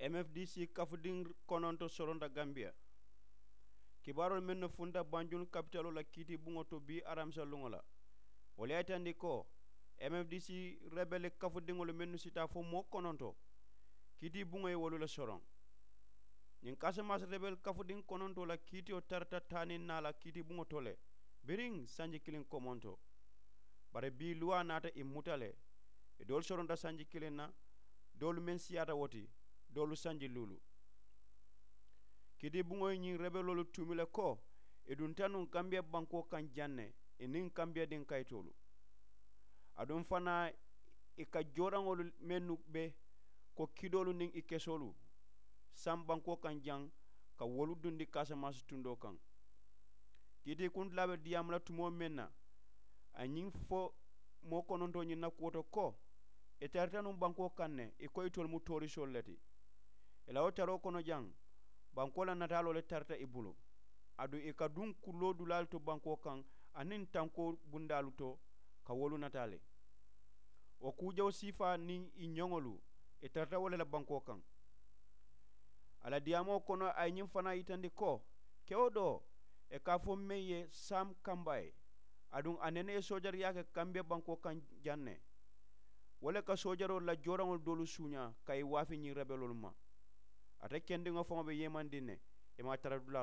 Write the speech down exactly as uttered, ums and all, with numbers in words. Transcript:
M F D C kafudiŋ kononto soronta gambiya. Kibaaroolu mennu funta banjul kapitaloo la kiitibuŋo to bii aramisa luŋo la, wolu ye a yitandi ko M F D C rebele kafudiŋolu mennu si taa fo moo kononto, kiitibuŋo ye wolu le soroŋ. Ñiŋ kasamasi rebele kafudiŋ konontoo la kiitiyo tarata taa niŋ naa la kiitibuŋo to le biriŋ sanji kiliŋ komonto. Bari bii luwaa naata i muta le. I doolu soronta sanji kiliŋ na, doolu meŋ siyaata wo ti, doolu sanji luulu. Kiitibuŋo ye ñiŋ rebeloolu tuumi le ko i dunta nuŋ kambiya bankoo kaŋ jaŋ ne i niŋ kambiya diŋ kayitoolu. Aduŋ fanaa i ka jooraŋolu mennu be ko kidoolu niŋ i kesoolu saŋ bankoo kaŋ jaŋ ka wolu dundi kasamasi tundoo kaŋ. Kiitii kuntilaa be diyaamu la tumoo meŋ na a ye ñiŋ fo moo konontoo ñiŋ na kuwo to ko i tarita nuŋ bankoo kaŋ ne i ko itolu mu toorisoolu le ti. I la wo taroo kono jaŋ bankoo la nataaloo le tarita i bulu. Aduŋ i ka duŋ kulloo dulaalu to bankoo kaŋ aniŋ tankoo bundaalu to ka wolu nataa le. Wo kuu jawo siifaa niŋ i ñoŋolu i tarata wo le la bankoo kaŋ. A la diyaamoo kono a ye ñiŋ fanaa yitandi ko kewo doo i ka a fo meŋ ye sam kambayi aduŋ a nene ye soojariyaa ke kambiya bankoo kaŋ jaŋ ne. Wo le ka soojaroolu la jooraŋolu doolu suuñaa ka i waafi ñiŋ rebeloolu ma. Ate kendiŋo faŋo be yeemandiŋ ne i maŋ a tara dulaa.